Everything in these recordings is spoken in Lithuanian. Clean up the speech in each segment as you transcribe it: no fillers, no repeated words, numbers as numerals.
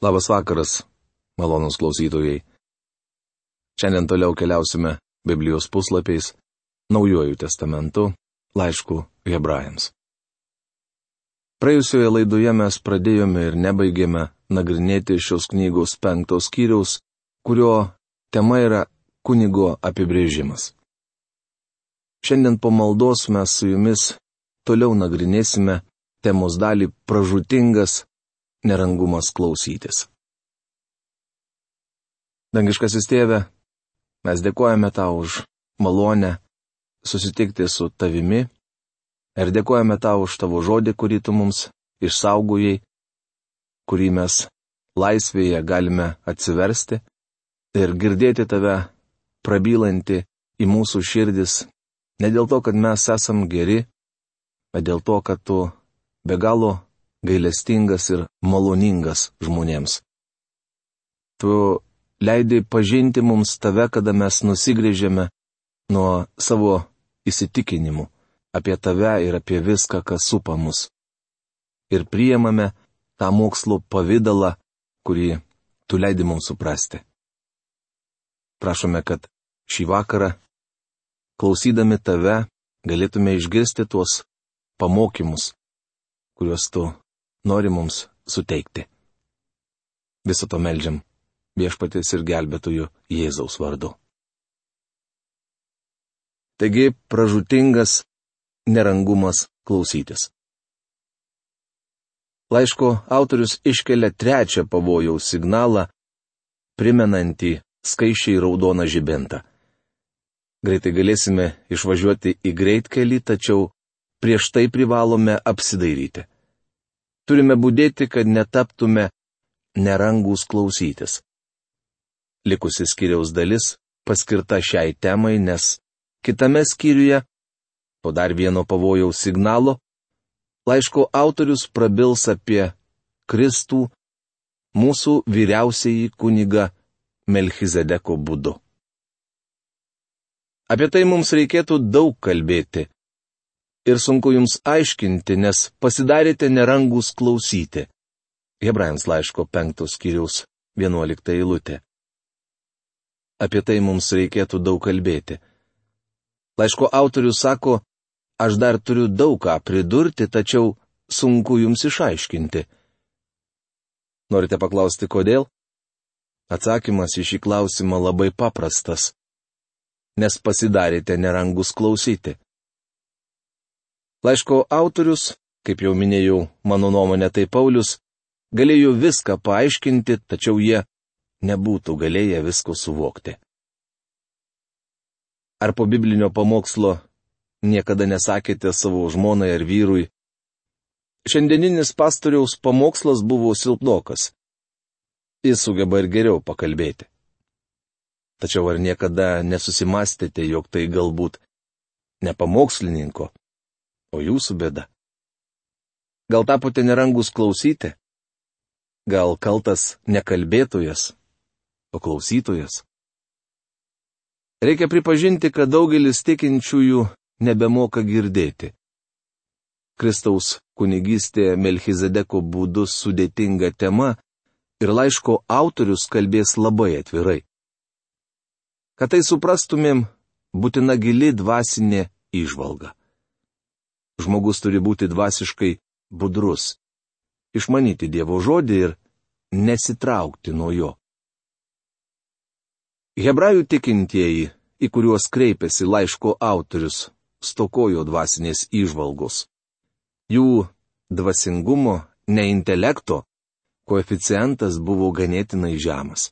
Labas vakaras, malonūs klausytojai. Šiandien toliau keliausime Biblijos puslapiais, Naujuoju testamentu, laišku Hebrajams. Praėjusioje laidoje mes pradėjome ir nebaigėme nagrinėti šios knygos 5 skyriaus, kurio tema yra kunigo apibrėžimas. Šiandien po maldos mes su jumis toliau nagrinėsime temos dalį pražūtingas nerangumas klausytis. Dangiškasis Tėve, mes dėkojame Tau už malonę susitikti su Tavimi ir dėkojame Tau už Tavo žodį, kurį Tu mums išsaugojai, kurį mes laisvėje galime atsiversti ir girdėti Tave prabylantį į mūsų širdis, ne dėl to, kad mes esam geri, bet dėl to, kad Tu be galo gailestingas ir maloningas žmonėms. Tu leidai pažinti mums Tave, kada mes nusigręžėme nuo savo įsitikinimų apie Tave ir apie viską, kas supa mus. Ir priimame tą mokslo pavydalą, kurį Tu leidai mums suprasti. Prašome, kad šį vakarą, klausydami Tave, galėtume išgirsti tuos pamokymus, kuriuos Tu nori mums suteikti. Viso to meldžiam Viešpaties ir gelbėtojų Jėzaus vardu. Taigi, pražūtingas nerangumas klausytis. Laiško autorius iškelia trečią pavojaus signalą, primenantį skaisčiai raudoną žibintą. Greitai galėsime išvažiuoti į greitkelį, tačiau prieš tai privalome apsidairyti. Turime budėti, kad netaptume nerangus klausytis. Likusi skyriaus dalis paskirta šiai temai, nes kitame skyriuje, po dar vieno pavojaus signalo, laiško autorius prabils apie Kristų, mūsų vyriausiąjį kunigą Melchizedeko būdu. Apie tai mums reikėtų daug kalbėti. Ir sunku jums aiškinti, nes pasidarėte nerangus klausyti. Hebrajams laiško 5 skyriaus 11 eilutė. Apie tai mums reikėtų daug kalbėti. Laiško autorius sako, aš dar turiu daug ką pridurti, tačiau sunku jums išaiškinti. Norite paklausti, kodėl? Atsakymas į šį klausimą labai paprastas. Nes pasidarėte nerangus klausyti. Laiško autorius, kaip jau minėjau, mano nuomonė tai Paulius, galėjo viską paaiškinti, tačiau jie nebūtų galėję visko suvokti. Ar po biblinio pamokslo niekada nesakėte savo žmonai ar vyrui, šiandieninis pastoriaus pamokslas buvo silpnokas. Jis sugeba ir geriau pakalbėti. Tačiau ar niekada nesusimastėte, jog tai galbūt ne pamokslininko, o jūsų bėda? Gal tapote nerangus klausyti? Gal kaltas ne kalbėtojas, o klausytojas? Reikia pripažinti, kad daugelis tikinčiųjų nebemoka girdėti. Kristaus kunigystė Melchizedeko būdu sudėtinga tema ir laiško autorius kalbės labai atvirai. Kad tai suprastumėm, būtina gili dvasinė įžvalga. Žmogus turi būti dvasiškai budrus, išmanyti Dievo žodį ir nesitraukti nuo jo. Hebrajų tikintieji, į kuriuos kreipiasi laiško autorius, stokojo dvasinės įžvalgos. Jų dvasingumo, ne intelekto, koeficientas buvo ganėtinai žemas.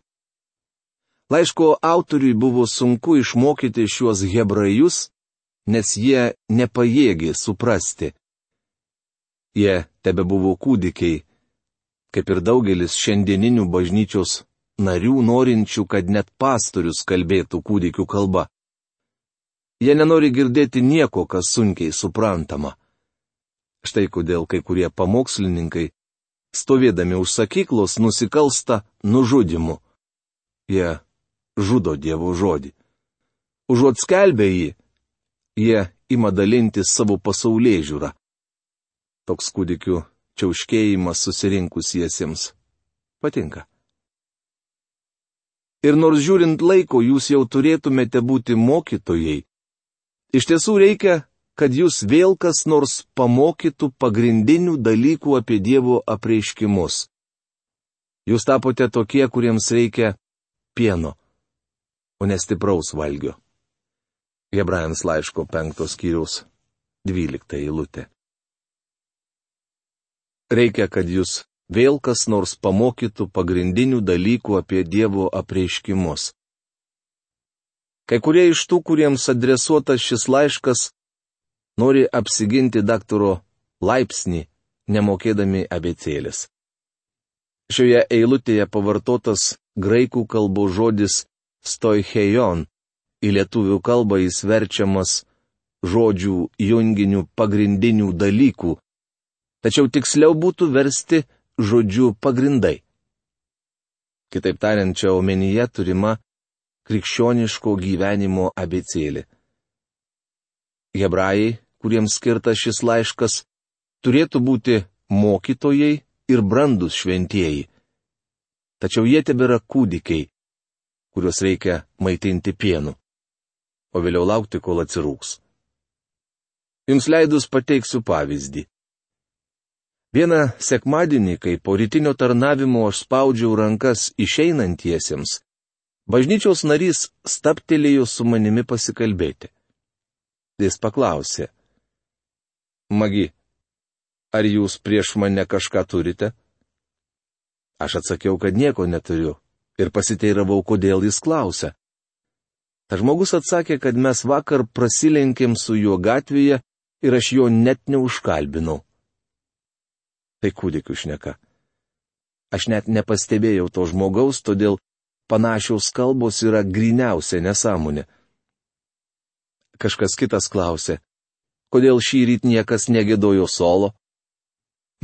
Laiško autoriui buvo sunku išmokyti šiuos hebrajus, nes jie nepajėgė suprasti. Jie tebebuvo kūdikiai, kaip ir daugelis šiandieninių bažnyčios narių norinčių, kad net pastorius kalbėtų kūdikių kalba. Jie nenori girdėti nieko, kas sunkiai suprantama. Štai kodėl kai kurie pamokslininkai, stovėdami už sakyklos, nusikalsta nužudymu. Jie žudo Dievo žodį. Užuot skelbę jį, jie ima dalintis savo pasaulėžiūrą. Toks kūdikių čiauškėjimas susirinkusiesiems patinka. Ir nors žiūrint laiko, jūs jau turėtumėte būti mokytojai. Iš tiesų reikia, kad jūs vėl kas nors pamokytų pagrindinių dalykų apie Dievo apreiškimus. Jūs tapote tokie, kuriems reikia pieno, o ne stipraus valgio. Hebrajams laiško 5 skyriaus 12 eilutė. Reikia, kad jūs vėl kas nors pamokytų pagrindinių dalykų apie Dievo apreiškimus. Kai kurie iš tų, kuriems adresuotas šis laiškas, nori apsiginti daktaro laipsnį, nemokėdami abėcėlės. Šioje eilutėje pavartotas graikų kalbos žodis stoicheion, į lietuvių kalbą jis verčiamas žodžių junginių pagrindinių dalykų, tačiau tiksliau būtų versti žodžiu pagrindai. Kitaip tariant, čia omenyje turima krikščioniško gyvenimo abėcėlė. Hebrajai, kuriems skirtas šis laiškas, turėtų būti mokytojai ir brandus šventieji. Tačiau jie tebėra kūdikiai, kuriuos reikia maitinti pienu, o vėliau laukti, kol atsirūks. Jums leidus pateiksiu pavyzdį. Vieną sekmadienį, kai po rytinio tarnavimo aš spaudžiau rankas išeinantiesiems, bažnyčios narys stabtelėjo su manimi pasikalbėti. Jis paklausė: Magi, ar jūs prieš mane kažką turite? Aš atsakiau, kad nieko neturiu, ir pasiteiravau, kodėl jis klausia. Ta žmogus atsakė, kad mes vakar prasilenkėm su juo gatvėje ir aš jo net neužkalbinau. Tai kūdikių šneka. Aš net nepastebėjau to žmogaus, todėl panašios kalbos yra gryniausia nesąmonė. Kažkas kitas klausė: kodėl šįryt niekas negiedojo solo?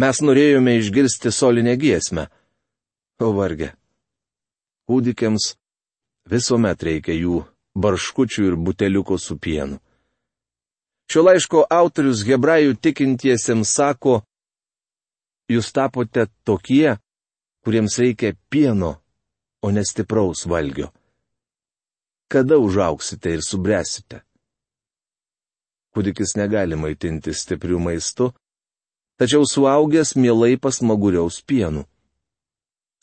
Mes norėjome išgirsti solinę giesmę. O varge. Kūdikiams visuomet reikia jų barškučių ir buteliuko su pienu. Šio laiško autorius hebrajų tikintiesiems sako: jūs tapote tokie, kuriems reikia pieno, o ne stipraus valgio. Kada užauksite ir subręsite? Kūdikis negali maitinti stiprių maistų, tačiau suaugęs mielai pasmaguriaus pienu.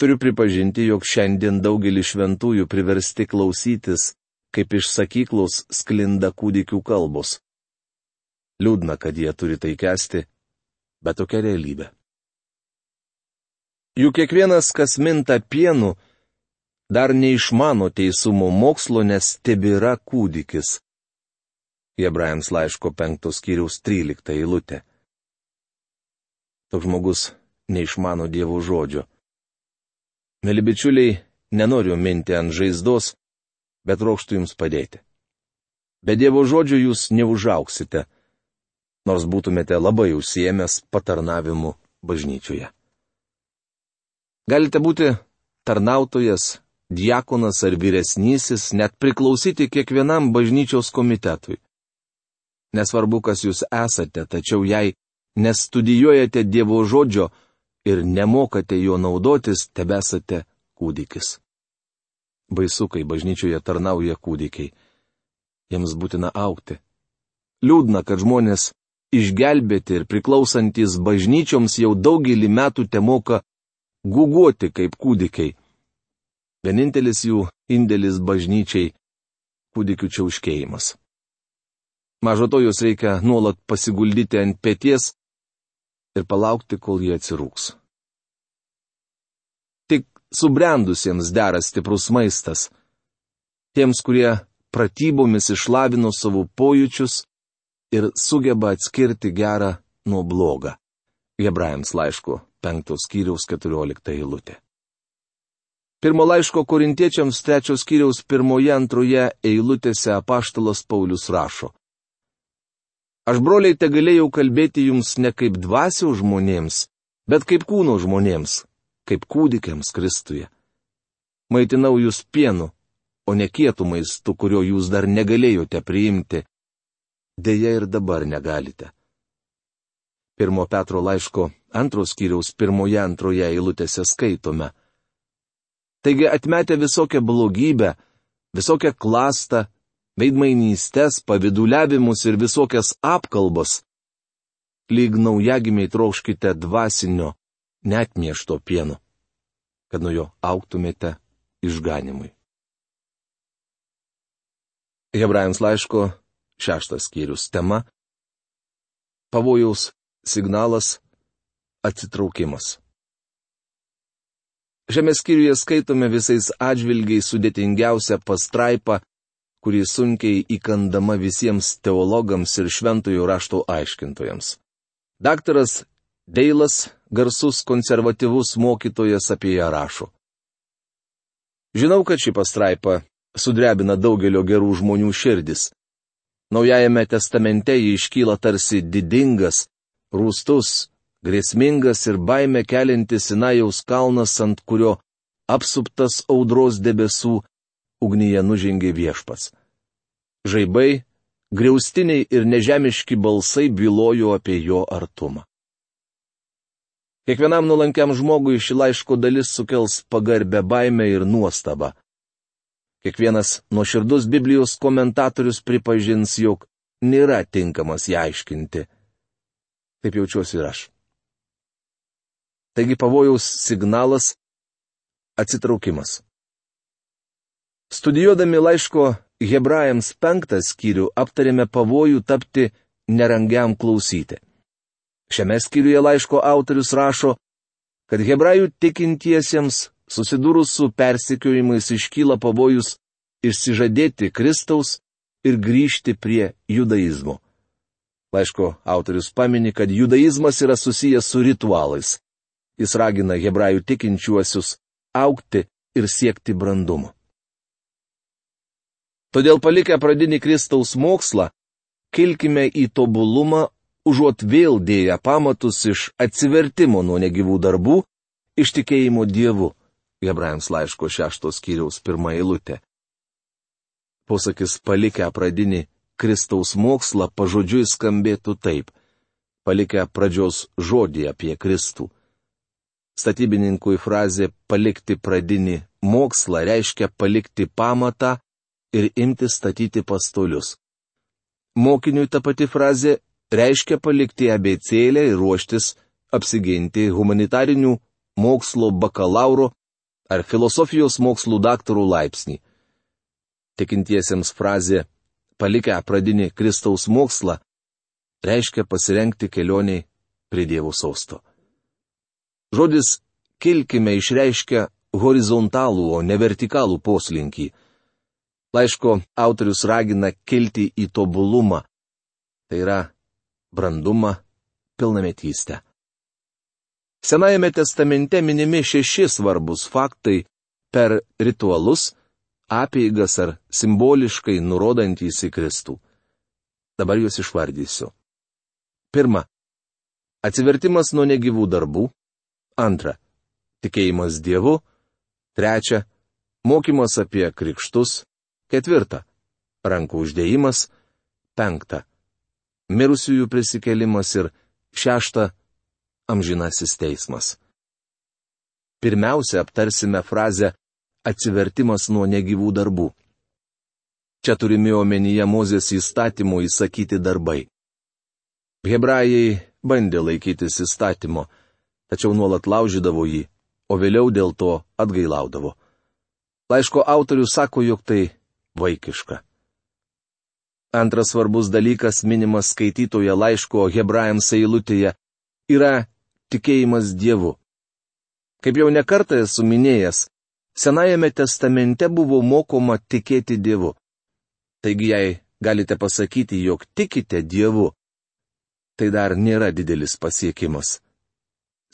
Turiu pripažinti, jog šiandien daugelis šventųjų priversti klausytis, kaip iš sakyklos sklinda kūdikių kalbos. Liūdna, kad jie turi tai kęsti, bet tokia realybė. Juk kiekvienas, kas minta pienu, dar neišmano teisumo mokslo, nes tebėra kūdikis. Hebrajams laiško 5 skyriaus 13 eilutė. Toks žmogus neišmano Dievo žodžio. Mėly bičiuliai, nenoriu minti ant žaizdos, bet trokštu jums padėti. Be Dievo žodžio jūs neužauksite, nors būtumėte labai užsiėmęs patarnavimu bažnyčioje. Galite būti tarnautojas, diakonas ar vyresnysis, net priklausyti kiekvienam bažnyčios komitetui. Nesvarbu, kas jūs esate, tačiau jei nestudijuojate Dievo žodžio ir nemokate jo naudotis, tebesate kūdikis. Baisu, kai bažnyčioje tarnauja kūdikiai. Jiems būtina augti. Liūdna, kad žmonės išgelbėti ir priklausantis bažnyčioms jau daugelį metų temoka guguoti kaip kūdikiai. Vienintelis jų indėlis bažnyčiai - kūdikių čiauškėjimas. Mažo to jūs reikia nuolat pasiguldyti ant peties ir palaukti, kol jie atsirūks. Tik subrendusiems dera stiprus maistas. Tiems, kurie pratybomis išlavino savo pojūčius ir sugeba atskirti gerą nuo blogą. Hebrajams laiško 5 skyriaus 14 eilutė. Pirmo laiško korintiečiams 3 skyriaus 1-2 eilutėse apaštalas Paulius rašo: Aš, broliai, tegalėjau kalbėti jums ne kaip dvasios žmonėms, bet kaip kūno žmonėms, kaip kūdikiams Kristuje. Maitinau jūs pienu, o ne kietų maistu, kurio jūs dar negalėjote priimti. Deja ir dabar negalite. 1 Petro laiško 2 skyriaus 1-2 eilutėse skaitome: Taigi atmetę visokią blogybę, visokią klastą, veidmainystės, paviduliavimus ir visokias apkalbas, lyg naujagimiai trokškite dvasinio, neatmiešto pieno, kad nuo jo augtumėte išganimui. Hebrajams laiško 6 skyrius tema - pavojaus signalas - atsitraukimas. Šiame skyriuje skaitome visais atžvilgiais sudėtingiausią pastraipą, kuri sunkiai įkandama visiems teologams ir šventojo rašto aiškintojams. Daktaras Deilas, garsus konservatyvus mokytojas, apie ją rašo. Žinau, kad ši pastraipa sudrebina daugelio gerų žmonių širdis. Naujajame testamente ji iškyla tarsi didingas, rūstus, grėsmingas ir baimę keliantis Sinajaus kalnas, ant kurio apsuptas audros debesų ugnyje nužengė Viešpats. Žaibai, griaustiniai ir nežemiški balsai bylojo apie jo artumą. Kiekvienam nuolankiam žmogui ši laiško dalis sukels pagarbę baimę ir nuostabą. Kiekvienas nuoširdus Biblijos komentatorius pripažins, jog nėra tinkamas ją aiškinti. Taip jaučiuosi ir aš. Taigi pavojaus signalas - atsitraukimas. Studijuodami laiško Hebrajams 5 skyrių aptarėme pavojų tapti nerangiam klausyti. Šiame skyriuje laiško autorius rašo, kad hebrajų tikintiesiems susidūrus su persekiojimais iškyla pavojus išsižadėti Kristaus ir grįžti prie judaizmo. Laiško autorius pamini, kad judaizmas yra susijęs su ritualais. Jis ragina hebrajų tikinčiuosius augti ir siekti brandumo. Todėl palikę pradinį Kristaus mokslą, kilkime į tobulumą, užuot vėl dėję pamatus iš atsivertimo nuo negyvų darbų, iš tikėjimo Dievu. Hebrajams laiško 6 skyriaus 1 eilutė. Posakis palikę pradinį Kristaus mokslą pažodžiui skambėtų taip: palikę pradžios žodį apie Kristų. Statybininkui frazė palikti pradinį mokslą reiškia palikti pamatą ir imti statyti pastolius. Mokiniui ta pati frazė reiškia palikti abėcėlę ir ruoštis apsiginti humanitarinių mokslo bakalauro ar filosofijos mokslų daktarų laipsnį. Tikintiesiems frazė palikę pradinį Kristaus mokslą reiškia pasirengti kelioniai prie Dievo sosto. Žodis kilkime išreiškia horizontalų, o ne vertikalų poslinkį. Laiško autorius ragina kilti į tobulumą, tai yra brandumą, pilnametystę. Senajame testamente minimi 6 svarbus faktai per ritualus, apeigas ar simboliškai nurodantys į Kristų. Dabar juos išvardysiu. 1. Atsivertimas nuo negyvų darbų. 2. Tikėjimas Dievu. 3. Mokymas apie krikštus. 4. Rankų uždėjimas. 5. Mirusiųjų prisikėlimas ir 6. Amžinasis teismas. Pirmiausia, aptarsime frazę atsivertimas nuo negyvų darbų. Čia turimi omenyje Mozės įstatymo įsakyti darbai. Hebrajai bandė laikytis įstatymo, tačiau nuolat laužydavo jį, o vėliau dėl to atgailaudavo. Laiško autorius sako, jog tai vaikiška. Antras svarbus dalykas minimas skaitytoje laiško Hebrajams eilutėje yra tikėjimas Dievu. Kaip jau nekartą esu minėjęs, Senajame testamente buvo mokoma tikėti Dievu. Taigi, jei galite pasakyti, jog tikite Dievu, tai dar nėra didelis pasiekimas.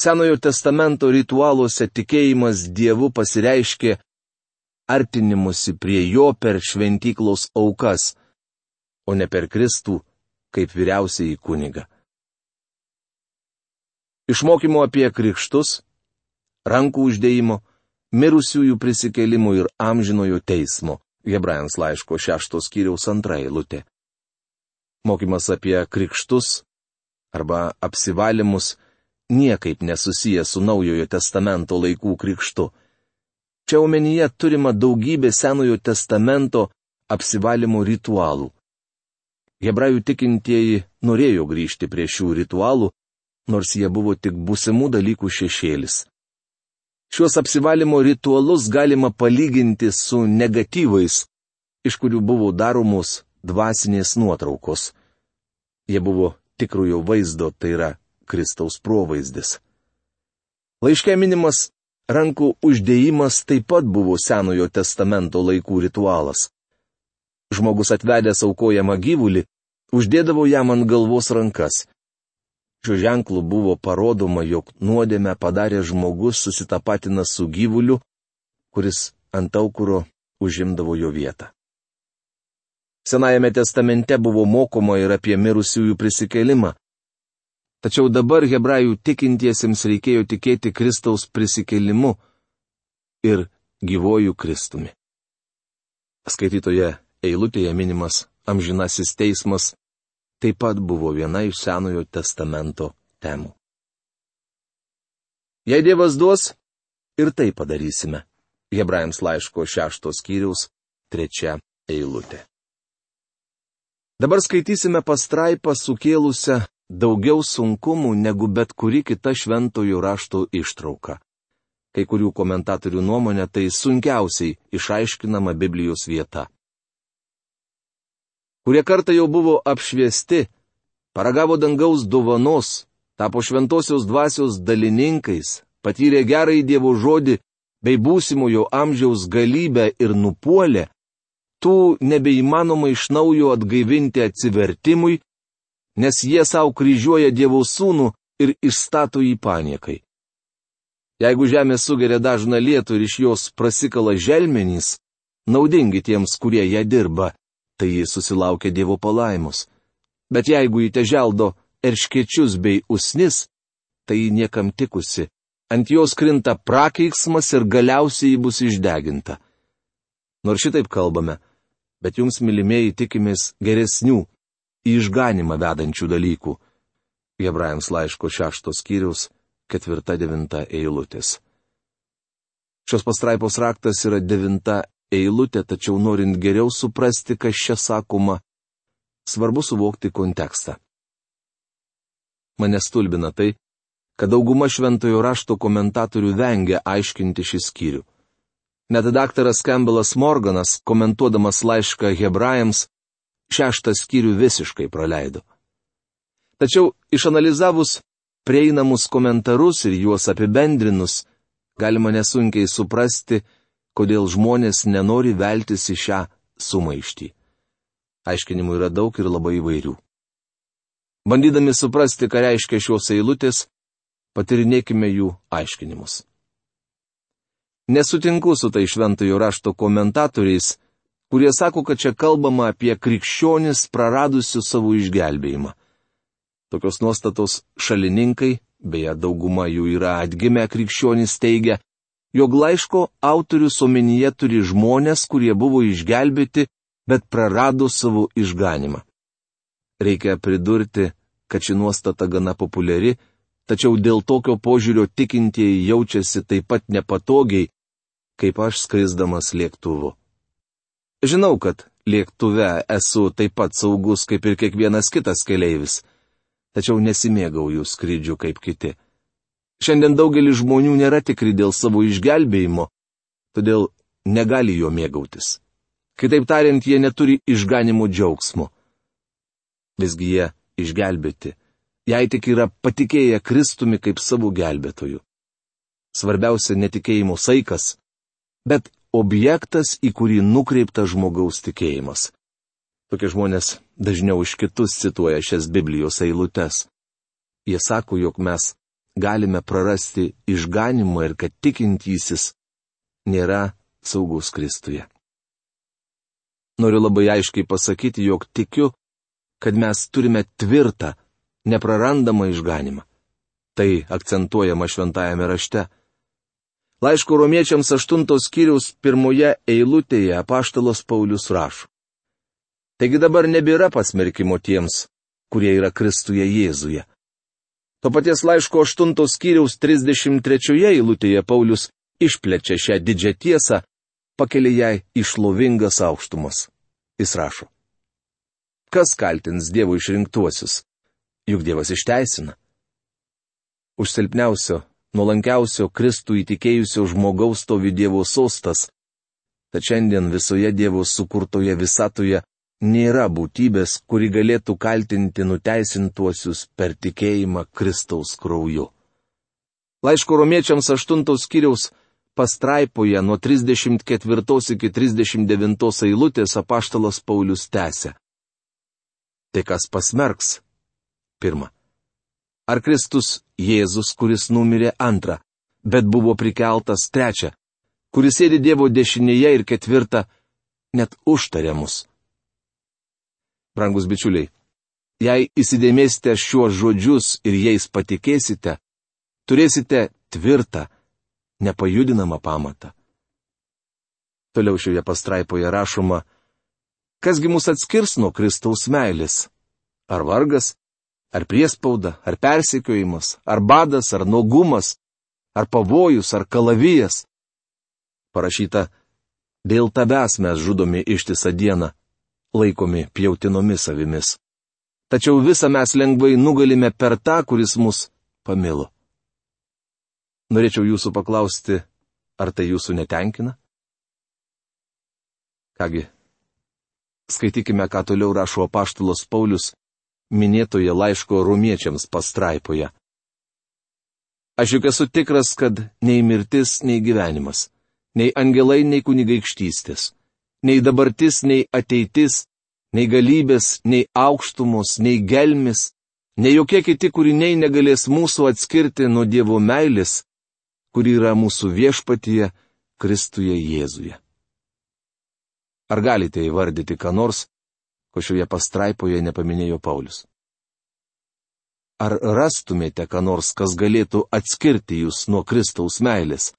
Senojo testamento ritualuose tikėjimas Dievu pasireiškė artinimusi prie jo per šventyklos aukas, o ne per Kristų kaip vyriausiąjį kunigą. Išmokymo apie krikštus, rankų uždėjimo, mirusiųjų prisikėlimų ir amžinojo teismo. Hebrajams laiško 6 skyriaus 2 eilutė. Mokymas apie krikštus arba apsivalymus niekaip nesusijęs su Naujojo testamento laikų krikštu. Čia omenyje turima daugybė Senojo testamento apsivalymo ritualų. Hebrajų tikintieji norėjo grįžti prie šių ritualų, nors jie buvo tik būsimų dalykų šešėlis. Šiuos apsivalymo ritualus galima palyginti su negatyvais, iš kurių buvo daromos dvasinės nuotraukos. Jie buvo tikrojo vaizdo, tai yra Kristaus provaizdis. Laiške minimas rankų uždėjimas taip pat buvo Senojo testamento laikų ritualas. Žmogus atvedęs aukojamą gyvulį, uždėdavo jam ant galvos rankas. Šiuo ženklu buvo parodoma, jog nuodėmę padaręs žmogus susitapatina su gyvuliu, kuris ant aukuro užimdavo jo vietą. Senajame testamente buvo mokoma ir apie mirusiųjų prisikėlimą. Tačiau dabar hebrajų tikintiesiems reikėjo tikėti Kristaus prisikėlimu ir gyvojų Kristumi. Skaitytoje eilutėje minimas amžinasis teismas taip pat buvo viena iš Senojo testamento temų. Jei Dievas duos, ir tai padarysime. Hebrajams laiško 6 skyriaus 3 eilutė. Dabar skaitysime pastraipą sukėlusią daugiau sunkumų negu bet kuri kita šventojo rašto ištrauka. Kai kurių komentatorių nuomonė tai sunkiausiai išaiškinama Biblijos vieta. Kurie kartą jau buvo apšviesti, paragavo dangaus dovanos, tapo šventosios dvasios dalininkais, patyrė gerąjį Dievo žodį bei būsimojo amžiaus galybę ir nupuolė, tų nebeįmanoma iš naujo atgaivinti atsivertimui, nes jie savo kryžiuoja Dievo sūnų ir išstato jį paniekai. Jeigu žemė sugeria dažną lietų ir iš jos prasikala želmenys, naudingi tiems, kurie ją dirba, tai jie susilaukia Dievo palaimos. Bet jeigu jį teželdo erškėčius bei usnis, tai jį niekam tikusi, ant jos krinta prakeiksmas ir galiausiai jį bus išdeginta. Nors šitaip kalbame, bet jums, mylimieji, tikimės geresnių, į išganimą vedančių dalykų. Hebrajams laiško 6 skyriaus 4-9 eilutės. Šios pastraipos raktas yra 9 eilutė, tačiau norint geriau suprasti, kas čia sakoma, svarbu suvokti kontekstą. Mane stulbina tai, kad dauguma šventojo rašto komentatorių vengia aiškinti šį skyrių. Net daktaras Campbellas Morganas, komentuodamas laišką Hebrajams, 6 skyrių visiškai praleido. Tačiau išanalizavus prieinamus komentarus ir juos apibendrinus, galima nesunkiai suprasti, kodėl žmonės nenori veltis į šią sumaištį. Aiškinimų yra daug ir labai įvairių. Bandydami suprasti, ką reiškia šios eilutės, patyrinėkime jų aiškinimus. Nesutinku su tai šventojo rašto komentatoriais, kurie sako, kad čia kalbama apie krikščionis praradusius savo išgelbėjimą. Tokios nuostatos šalininkai, beje dauguma jų yra atgimę krikščionys, teigia, jog laiško autorius omenyje turi žmonės, kurie buvo išgelbėti, bet prarado savo išganimą. Reikia pridurti, kad ši nuostata gana populiari, tačiau dėl tokio požiūrio tikintieji jaučiasi taip pat nepatogiai, kaip aš skrisdamas lėktuvu. Žinau, kad lėktuve esu taip pat saugus kaip ir kiekvienas kitas keleivis, tačiau nesimėgauju skrydžių kaip kiti. Šiandien daugelis žmonių nėra tikri dėl savo išgelbėjimo, todėl negali jo mėgautis. Kitaip tariant, jie neturi išganimo džiaugsmo. Visgi jie išgelbėti, jei tik yra patikėję Kristumi kaip savo gelbėtoju. Svarbiausia netikėjimo saikas, bet objektas, į kurį nukreiptas žmogaus tikėjimas. Tokie žmonės dažniau už kitus cituoja šias Biblijos eilutes. Jie sako, jog mes galime prarasti išganimą ir kad tikintysis nėra saugus Kristuje. Noriu labai aiškiai pasakyti, jog tikiu, kad mes turime tvirtą, neprarandamą išganimą. Tai akcentuojama šventajame rašte. Laiško romiečiams 8 skyriaus 1 eilutėje apaštalas Paulius rašo. Taigi dabar nebėra pasmerkimo tiems, kurie yra Kristuje Jėzuje. To paties laiško 8 skyriaus 33 eilutėje Paulius išplečia šią didžią tiesą, pakelia ją į šlovingas aukštumas. Jis rašo: Kas kaltins Dievo išrinktuosius? Juk Dievas išteisina. Už silpniausio, nuolankiausio Kristų įtikėjusio žmogaus stovi Dievo sostas. Tad šiandien visoje Dievo sukurtoje visatoje nėra būtybės, kuri galėtų kaltinti nuteisintuosius per tikėjimą Kristaus krauju. Laiško Romiečiams 8 skyriaus pastraipoje nuo 34 iki 39 eilutės apaštalas Paulius tęsia: Tai kas pasmerks? 1. Ar Kristus Jėzus, kuris numirė? 2. Bet buvo prikeltas? 3. Kuris sėdi Dievo dešinėje? Ir 4. Net užtarė mus. Brangus bičiuliai, jei įsidėmėsite šiuos žodžius ir jais patikėsite, turėsite tvirtą, nepajudinamą pamatą. Toliau šioje pastraipoje rašoma: Kasgi mus atskirs nuo Kristaus meilės? Ar vargas, ar priespauda, ar persekiojimas, ar badas, ar nuogumas, ar pavojus, ar kalavijas? Parašyta: Dėl tavęs mes žudomi ištisą dieną, laikomi pjautinomis avimis. Tačiau visą mes lengvai nugalime per tą, kuris mus pamilo. Norėčiau jūsų paklausti, ar tai jūsų netenkina? Kągi, skaitykime, ką toliau rašo apaštalas Paulius minėtoje laiško Romiečiams pastraipoje. Aš juk esu tikras, kad nei mirtis, nei gyvenimas, nei angelai, nei kunigaikštystės, nei dabartis, nei ateitis, nei galybės, nei aukštumos, nei gelmis, nei jokie kiti kūriniai negalės mūsų atskirti nuo Dievo meilės, kuri yra mūsų viešpatyje Kristuje Jėzuje. Ar galite įvardyti ką nors, ko šioje pastraipoje nepaminėjo Paulius? Ar rastumėte ką nors, kas galėtų atskirti jūs nuo Kristaus meilės?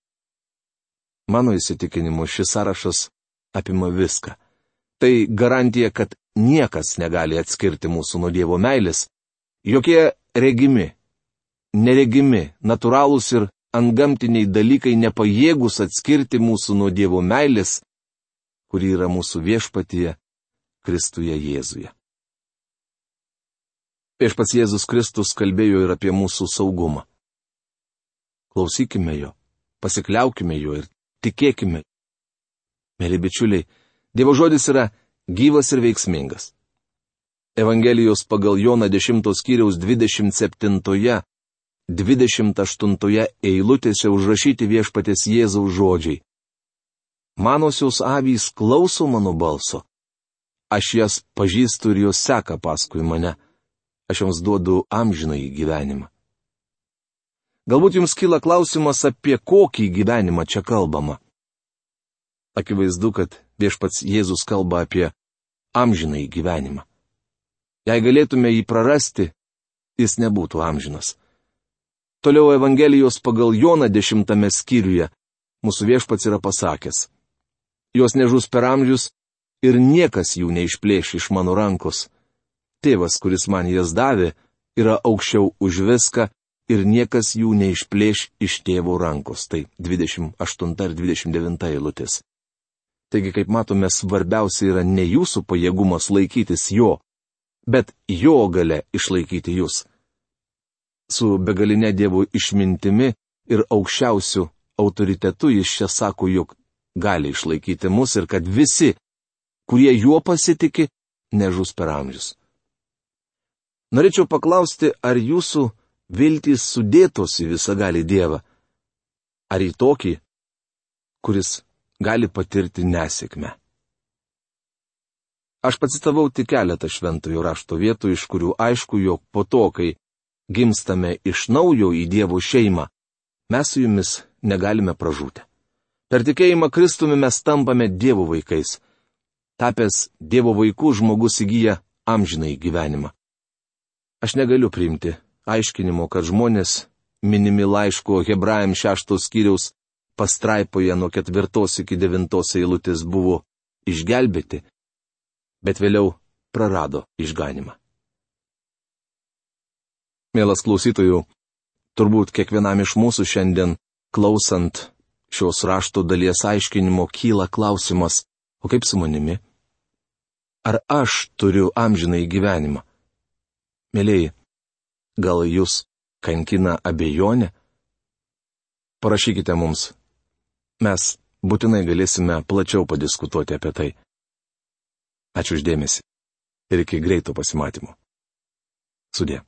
Mano įsitikinimu, šis sąrašas apima viską. Tai garantija, kad niekas negali atskirti mūsų nuo Dievo meilės. Jokie regimi, neregimi, natūralūs ir antgamtiniai dalykai nepajėgus atskirti mūsų nuo Dievo meilės, kuri yra mūsų viešpatyje Kristuje Jėzuje. Viešpats Jėzus Kristus kalbėjo ir apie mūsų saugumą. Klausykime jo, pasikliaukime jo ir tikėkime. Mėly bičiuliai, Dievo žodis yra gyvas ir veiksmingas. Evangelijos pagal Joną 10 skyriaus 27-28 eilutėse užrašyti viešpaties Jėzaus žodžiai. Manosios avys klauso mano balso. Aš jas pažįstu ir jos seka paskui mane. Aš joms duodu amžinąjį gyvenimą. Galbūt jums kyla klausimas, apie kokį gyvenimą čia kalbama. Akivaizdu, kad viešpats Jėzus kalba apie amžinąjį gyvenimą. Jei galėtume jį prarasti, jis nebūtų amžinas. Toliau Evangelijos pagal Joną 10 skyriuje mūsų viešpats yra pasakęs: Jos nežus per amžius ir niekas jų neišplėš iš mano rankos. Tėvas, kuris man jas davė, yra aukščiau už viską ir niekas jų neišplėš iš tėvo rankos. Tai 28 ir 29 eilutės. Taigi, kaip matome, svarbiausia yra ne jūsų pajėgumas laikytis jo, bet jo galia išlaikyti jūs. Su begalinė Dievo išmintimi ir aukščiausiu autoritetu jis čia sako, jog gali išlaikyti mus ir kad visi, kurie juo pasitiki, nežus per amžius. Norėčiau paklausti, ar jūsų viltys sudėtos į visagalį Dievą, ar į tokį, kuris gali patirti nesėkmę. Aš pacitavau tik keletą šventojo rašto vietų, iš kurių aišku, jog po to, kai gimstame iš naujo į Dievo šeimą, mes su jumis negalime pražūti. Per tikėjimą Kristumi mes tampame Dievo vaikais. Tapęs Dievo vaikų žmogus įgyja amžinąjį gyvenimą. Aš negaliu priimti aiškinimo, kad žmonės minimi laiško Hebrajams 6 skyriaus pastraipoje nuo 4 iki 9 eilutės buvo išgelbėti, bet vėliau prarado išganimą. Mielas klausytojų, turbūt kiekvienam iš mūsų šiandien klausant šios rašto dalies aiškinimo kyla klausimas, o kaip su manimi? Ar aš turiu amžinąjį gyvenimą? Mėlyji, gal jūs kankina abejonė? Parašykite mums. Mes būtinai galėsime plačiau padiskutuoti apie tai. Ačiū už dėmesį ir iki greito pasimatymo. Sudie.